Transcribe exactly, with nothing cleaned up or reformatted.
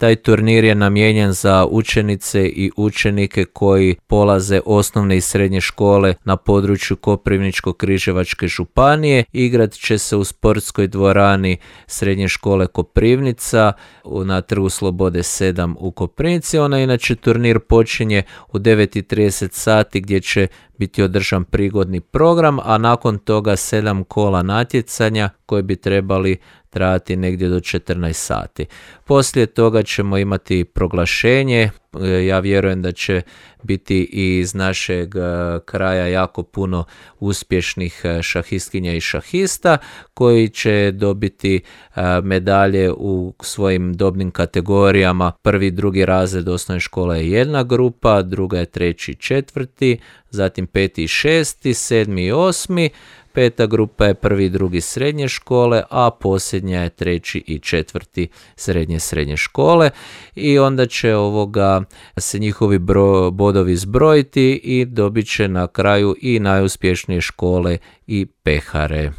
Taj turnir je namijenjen za učenice i učenike koji polaze osnovne i srednje škole na području Koprivničko-križevačke županije. Igrat će se u sportskoj dvorani Srednje škole Koprivnica na Trgu Slobode sedam u Koprivnici. Ona inače turnir počinje u devet i trideset sati gdje će biti održan prigodni program, a nakon toga sedam kola natjecanja koji bi trebali trajati negdje do četrnaest sati. Poslije toga ćemo imati proglašenje. Ja vjerujem da će biti i iz našeg kraja jako puno uspješnih šahistkinja i šahista koji će dobiti medalje u svojim dobnim kategorijama. Prvi i drugi razred osnovne škole je jedna grupa, druga je treći i četvrti, zatim peti i šesti, sedmi i osmi. Peta grupa je prvi i drugi srednje škole, a posljednja je treći i četvrti srednje srednje škole. I onda će ovoga se njihovi bro, bodovi zbrojiti i dobit će na kraju i najuspješnije škole i pehare.